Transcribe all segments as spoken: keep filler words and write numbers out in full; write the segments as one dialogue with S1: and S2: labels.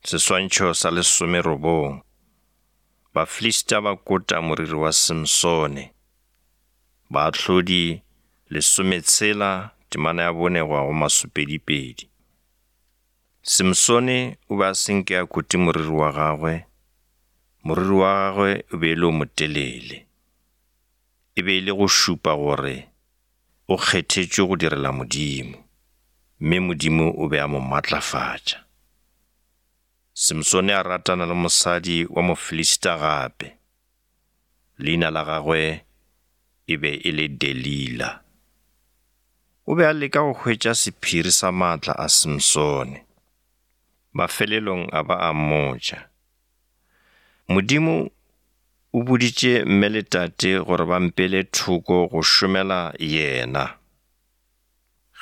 S1: Seswantšho sa lesomerobong. Bafilista ba kota moriri wa Simsone. Baahlodi lesometshela temana ya bone go ya go masopedipedi. Simsone o be a se nke a kote moriri wa gagwe, moriri wa gagwe o be e le o motelele. E be e le go šupa gore o kgethetšwe go direla Modimo, mme Modimo o be a mo matlafatša. Simsone a ratana le mosadi wa Mofilista gape. Leina la gagwe e be e le Delila. O be a leka go hwetša sephiri sa maatla a Simsone. Mafelelong a ba a mmotša. Modimo o boditše mme le tate gore ba mpeele thoko go šomela yena.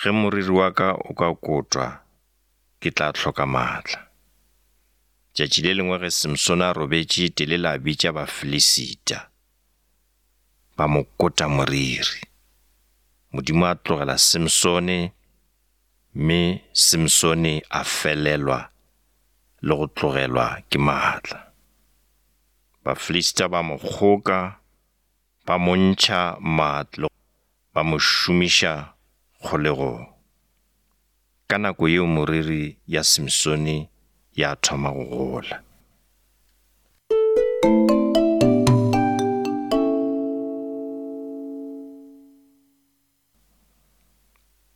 S1: Ge moriri wa ka o ka kotwa, ke tla hloka maatla. Tšatši le lengwe ge Simsone a robetše, Delila a bitša Bafilisita. Ba mo kota moriri. Modimo a tlogela Simsone, mme Simsone a felelwa le go tlogelwa ke maatla. Bafilista ba mo kgoka, ba mo ntšha maatla, ba mo šomiša kgolegong. Ka nako yeo moriri ya Simsone ya thoma go gola.